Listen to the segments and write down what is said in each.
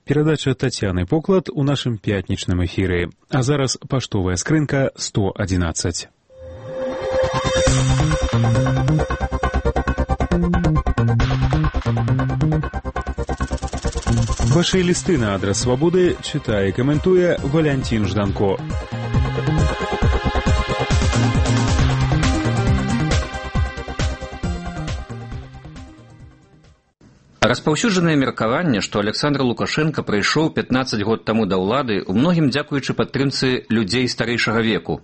Перадача Тацяны Поклад у нашым пятнічным эфіры. А зараз паштовая скрынка 111. Ваши листы на адрес Свободы читае и комментуя Валентин Жданко. Распаўсюджанае меркаванне, што Александр Лукашенко прыйшоў 15 год таму да ўлады, у многім дзякуючы падтрымцы людзей старэйшага веку,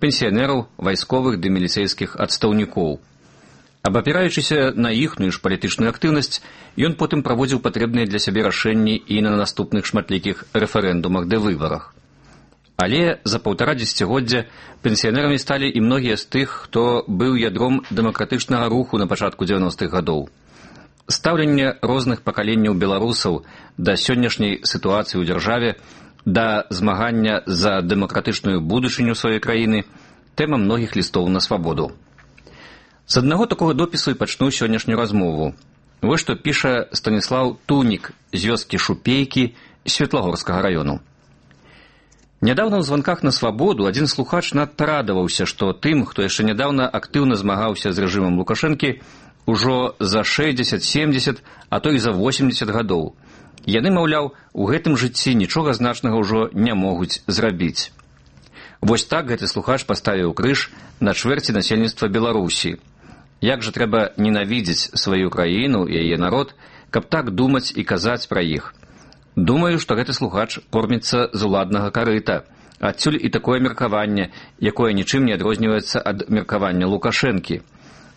пенсіянераў, вайсковых ды міліцэйскіх адстаўнікоў. Абапіраючыся на іхную ж палітычную актыўнасць, ён потым праводзіў патрэбныя для сябе рашэнні і на наступных шматлікіх рэферэндумах ды выбарах. Але за паўтара дзесяцігоддзя пенсіянерамі сталі і многія з тых, хто быў ядром дэмакратычнага руху на пачатку 90-х гадоў. Стаўленне розных пакаленняў беларусаў да сённяшняй сітуацыі ў дзяржаве, да змагання за дэмакратычную будучыню сваёй краіны – тэма многіх лістоў на свабоду. З аднаго такога допісу і пачну сённяшнюю размову. Вось што піша Станіслаў Тунік з вёскі Шупейкі Светлагорскага раёну. Нядаўна ў званках на свабоду адзін слухач надта радаваўся, што тым, хто яшчэ нядаўна актыўна змагаўся з рэжымам Лукашэнкі, ужо за 60-70, а то і за 80 гадоў. Яны, маўляў, у гэтым жыцці нічога значнага ўжо не могуць зрабіць. Вось так гэты слухач паставіў крыж на чвэрці насельніцтва Беларусі. Як жа трэба ненавідзець сваю краіну і яе народ, каб так думаць і казаць пра іх. Думаю, што гэты слухач корміцца з уладнага карыта. Адсюль і такое меркаванне, якое нічым не адрозніваецца ад меркавання Лукашэнкі.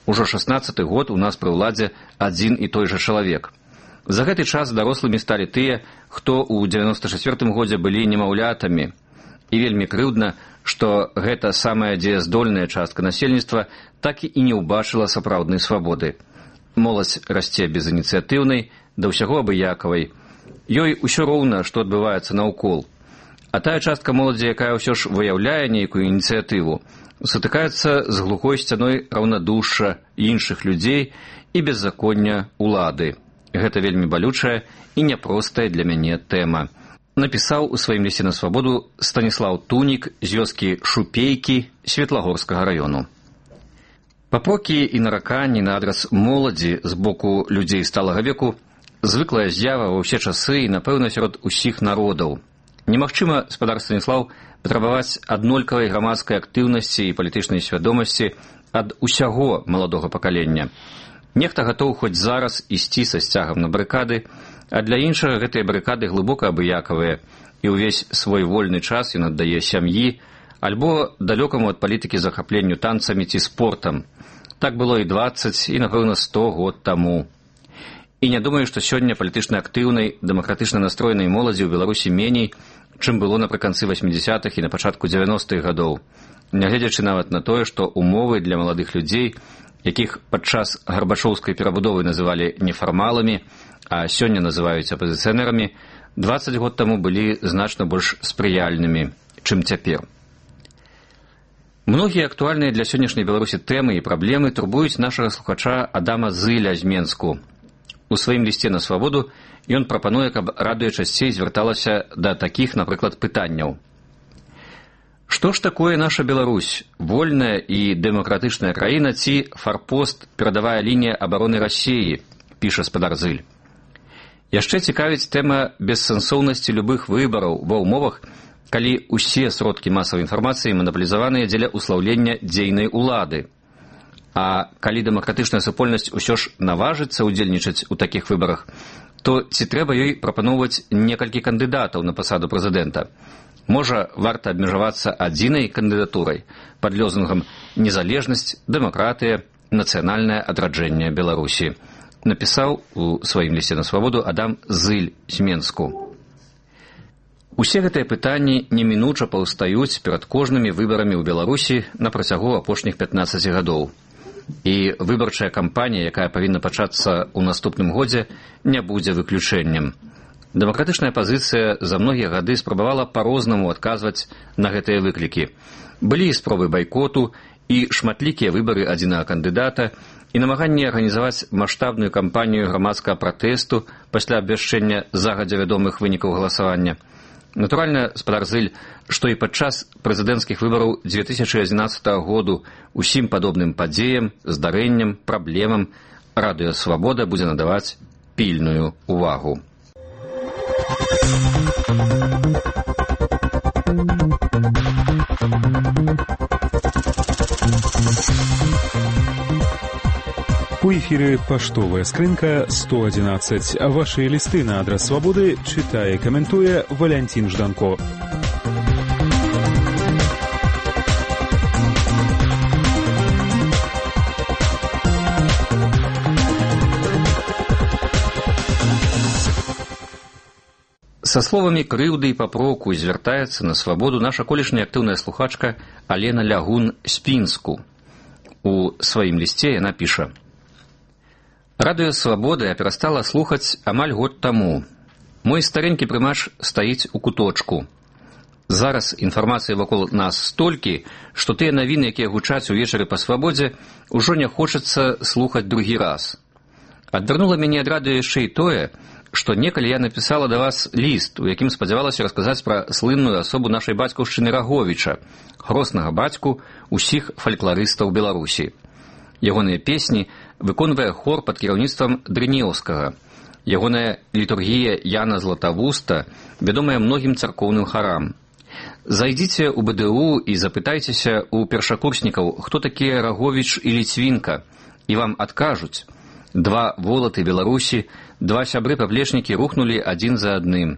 Ужо 16-й год у нас пры ўладзе адзін і той жа чалавек. За гэты час дарослымі сталі тыя, хто ў 94-м годзе былі немаўлятамі. І вельмі крыўдна, што гэта самая дзеяздольная частка насельніцтва так і не ўбачыла сапраўднай свабоды. Моладзь расце безініцыятыўнай, да ўсяго абыякавай. Ёй усё роўна, што адбываецца наўкол. А тая частка моладзі, якая ўсё ж выяўляе нейкую ініцыятыву, сутыкаецца з глухой сцяной раўнадушша іншых людзей і беззаконня ўлады. Гэта вельмі балючая і няпростая для мяне тэма. Напісаў у сваім лісце на свабоду Станіслаў Тунік з вёскі Шупейкі Светлагорскага раёну. Папрокі і нараканні на адрас моладзі з боку людзей сталага веку звыклая з'ява ва ўсе часы і, напэўна, сярод усіх народаў. Немагчыма, спадар Станіслаў, патрабаваць аднолькавай грамадскай актыўнасці і палітычнай свядомасці ад усяго маладога пакалення. Нехта гатоў хоць зараз ісці са сцягам на барыкады, а для іншага гэтыя барыкады глыбока абыякавыя, і ўвесь свой вольны час ён аддае сям'і, альбо далёкаму ад палітыкі захапленню танцамі ці спортам. Так было і 20, і, напэўна, 100 год таму. І не думаю, што сёння палітычна актыўнай, дэмакратычна настроенай моладзі ў Беларусі меней, чым было напрыканцы 80-х і на пачатку 90-х гадоў. Нягледзячы нават на тое, што умовы для маладых людзей, якіх падчас гарбачоўскай перабудовы называлі нефармаламі, а сёння называюць апазіцыянерамі, 20 год таму былі значна больш спрыяльнымі, чым цяпер. Многія актуальныя для сённяшняй Беларусі тэмы і праблемы турбуюць нашага слухача Адама Зыля з Менску. У сваім лісце на свабоду ён прапануе, каб радыё часцей звярталася да такіх, напрыклад, пытанняў. Што ж такое наша Беларусь? Вольная і дэмакратычная краіна ці фарпост, перадавая лінія абароны Расіі, піша спадар Зыль. Яшчэ цікавіць тэма бессэнсоўнасці любых выбараў ва ўмовах, калі ўсе сродкі масавай інфармацыі манаполізаваныя дзеля ўслаўлення дзейнай улады. А калі дэмакратычная супольнасць усё ж наважыцца ўдзельнічаць у такіх выбарах, то ці трэба ёй прапаноўваць некалькі кандыдатаў на пасаду прэзідэнта? Можа, варта абмежавацца адзінай кандыдатурай пад лозунгам «Незалежнасць, дэмакратыя, нацыянальнае адраджэнне Беларусі», напісаў у сваім лісце на свабоду Адам Зыль з Менску. Усе гэтыя пытанні немінуча паўстаюць перад кожнымі выбарамі ў Беларусі на працягу апошніх 15 гадоў. І выбарчая кампанія, якая павінна пачацца ў наступным годзе, не будзе выключэннем. Дэмакратычная апазіцыя за многія гады спрабавала па-рознаму адказваць на гэтыя выклікі. Былі спробы байкоту і шматлікія выбары адзінага кандыдата, і намаганне арганізаваць маштабную кампанію грамадскага пратэсту пасля абвяшчэння загадзя вядомых вынікаў галасавання. Натуральна, спадар Зыль, што і падчас прэзідэнцкіх выбараў 2011 году усім падобным падзеям, здарэнням, праблемам Радыё Свабода будзе надаваць пільную увагу. У эфире «Поштовая скрынка» 111. Ваши листы на адрес «Свободы» читая и комментуя Валентин Жданко. Са словамі крыўды і папроку звяртаецца на «Свабоду» наша колішняя актыўная слухачка Алена Лягун з Пінску. У сваім лісце яна піша: «Радыё Свабоды я перастала слухаць амаль год таму. Мой старенькі прымач стаіць у куточку. Зараз інфармацыі вакол нас столькі, што тыя навіны, якія гучаць увечары па Свабодзе, ужо не хочацца слухаць другі раз. Адвярнула мяне ад радыё яшчэ і тое, што некалі я напісала да вас ліст, у якім спадзявалася расказаць пра слынную асобу нашай бацькаўшчыны Раговіча, грознага бацьку ўсіх фалькларыстаў Беларусі. Ягоныя песні выконвае хор пад кіраўніцтвам Дрынеўскага. Ягоная літургія Яна Златавуста вядомая многім царкоўным харам. Зайдзіце ў БДУ і запытайцеся ў першакурснікаў, хто такія Раговіч і Ліцвінка, і вам адкажуць. Два волаты Беларусі, два сябры-паплечнікі рухнулі адзін за адным.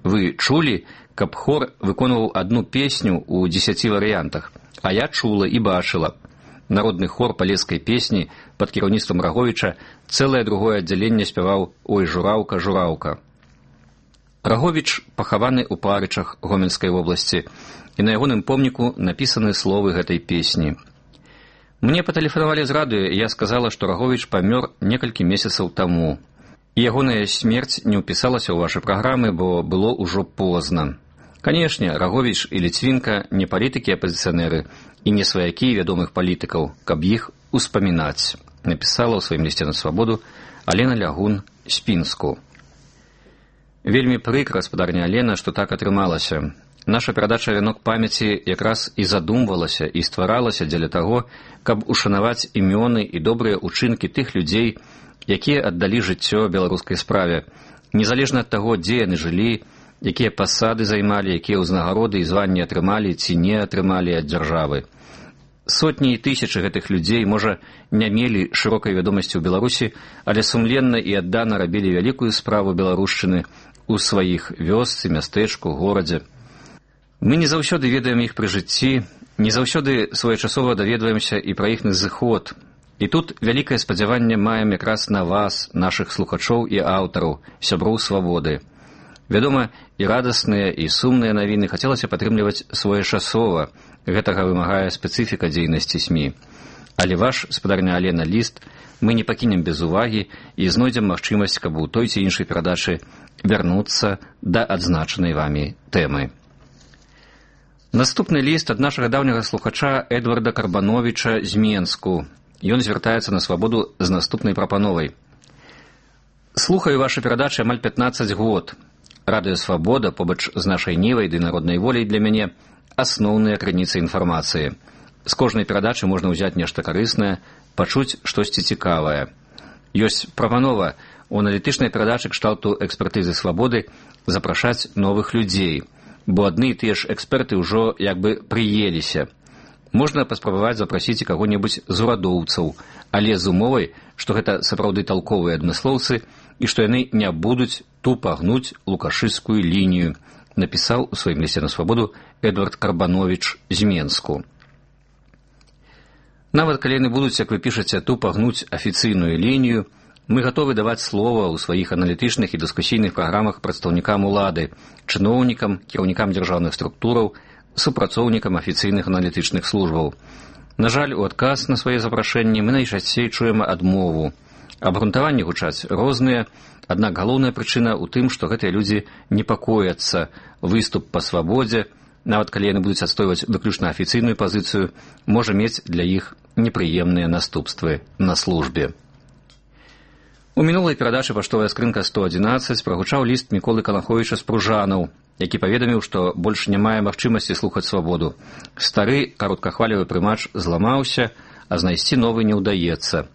Вы чулі, каб хор выконваў адну песню ў 10 варыянтах, а я чула і бачыла. Народны хор палескай песні пад кіраўніцтвам Раговіча цэлае другое аддзяленне спяваў «Ой, жураўка, жураўка». Раговіч пахаваны ў Парычах Гомельскай вобласці, і на ягоным помніку напісаны словы гэтай песні. Мне патэлефанавалі з радыё, і я сказала, што Раговіч памёр некалькі месяцаў таму. І ягоная смерць не ўпісалася ў вашы праграмы, бо было ўжо позна. Канешне, Раговіч і Ліцвінка не палітыкі-апазіцыянеры і не сваякі вядомых палітыкаў, каб іх успамінаць, напісала ў сваім лісце на Свабоду Алена Лягун з Пінску. Вельмі прыкра, спадарня Алена, што так атрымалася. Наша перадача «Вянок памяці» якраз і задумвалася і стваралася дзеля таго, каб ушанаваць імёны і добрыя ўчынкі тых людзей, якія аддалі жыццё беларускай справе, незалежна ад таго, дзе яны жылі, якія пасады займалі, якія ўзнагароды і званні атрымалі ці не атрымалі ад дзяржавы. Сотні і тысячы гэтых людзей, можа, не мелі шырокай вядомасці ў Беларусі, але сумленна і аддана рабілі вялікую справу беларушчыны ў сваіх вёсцы, мястэчку, горадзе. Мы не заўсёды ведаем іх пры жыцці, не заўсёды своечасова даведваемся і пра іхны зыход. І тут вялікае спадзяванне маем якраз на вас, нашых слухачоў і аўтараў, сяброў Свабоды. Вядома, і радасныя, і сумныя навіны хацелася падтрымліваць своечасова, гэтага вымагае спецыфіка дзейнасці СМІ. Але ваш, спадарня Алена, ліст мы не пакінем без увагі і знойдзем магчымасць, каб у той ці іншай перадачы вярнуцца да адзначанай вамі тэмы. Наступны ліст ад нашага даўняга слухача Эдварда Карбановіча з Менску. Ён звяртаецца на Свабоду з наступнай прапановай. Слухаю вашы перадачы амаль 15 год. Радыё Свабода побач з нашай нівай ды народнай воляй для мяне асноўныя крыніцы інфармацыі. З кожнай перадачы можна ўзяць нешта карыснае, пачуць штосьці цікавае. Ёсць прапанова у аналітычнай перадачы кшталту экспертызы Свабоды запрашаць новых людзей, бо адны і тыя ж эксперты ўжо як бы прыеліся. Можна паспрабаваць запрасіць каго-небудзь з урадоўцаў, але з умовай, што гэта сапраўды талковыя адмыслоўцы і што яны не будуць тупа гнуць лукашыскую лінію, напісаў у сваім лісце на Свабоду Эдвард Карбановіч з Менску. Нават калі яны будуць, як вы пішаце, тупа гнуць афіцыйную лінію, мы гатовы даваць слова ў сваіх аналітычных і дыскусійных праграмах прадстаўнікам улады, чыноўнікам, кіраўнікам дзяржаўных структураў, супрацоўнікам афіцыйных аналітычных службаў. На жаль, у адказ на свае запрашэнні мы найчасцей чуем адмову. Абгрунтаванні гучаць розныя, аднак галоўная прычына ў тым, што гэтыя людзі непакояцца. Выступ па свабодзе, нават калі яны будуць адстойваць выключна афіцыйную пазіцыю, можа мець для іх непрыемныя наступствы на службе. У мінулай перадачы «Паштовая скрынка 111» прагучаў ліст Міколы Калаховіча з Пружанаў, які паведаміў, што больш не мае магчымасці слухаць свабоду. Стары кароткахвалевы прымач зламаўся, а знайсці новы не ўдаецца.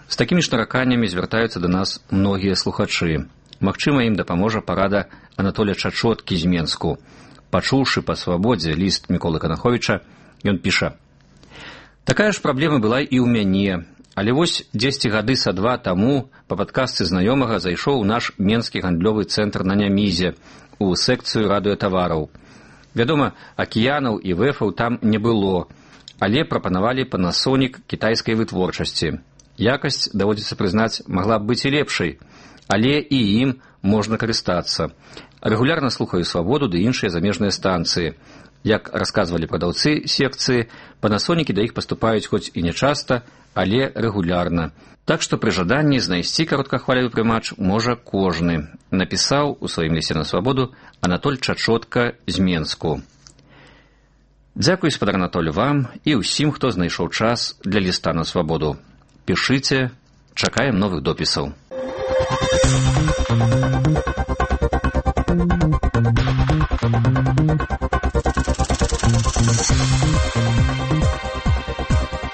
З такімі ж нараканнямі звяртаюцца да нас многія слухачы. Магчыма, ім дапаможа парада Анатоля Чачоткі з Менску. Пачуўшы па свабодзе ліст Міколы Калаховіча, ён піша: «Такая ж праблема была і ў мяне. Але вось 10 гады са 2 таму па падказцы знаёмага зайшоў у наш менскі гандлёвы цэнтр на Нямізе у секцыю радыётавараў. Вядома, акіянаў і вэфаў там не было, але прапанавалі Panasonic кітайскай вытворчасці. Якасць, даводзіцца прызнаць, магла б быць і лепшай, але і ім можна карыстацца. Рэгулярна слухаю свабоду ды іншыя замежныя станцыі. Як расказвалі прадаўцы секцыі, Panasonic да іх паступаюць хоць і не часта, але рэгулярна. Так што пры жаданні знайсці кароткахвалевы прымач можа кожны», напісаў у сваім лісце на свабоду Анатоль Чачотка з Менску. Дзякуй, спадар Анатоль, вам і ўсім, хто знайшоў час для ліста на свабоду. Пішыце, чакаем новых допісаў.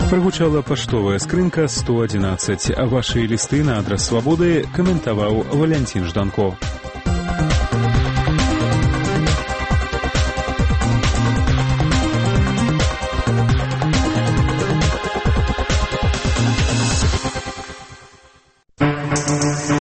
Прагучала «Паштовая скрынка 111», а вашы лісты на адрас свабоды каментаваў Валянцін Жданко.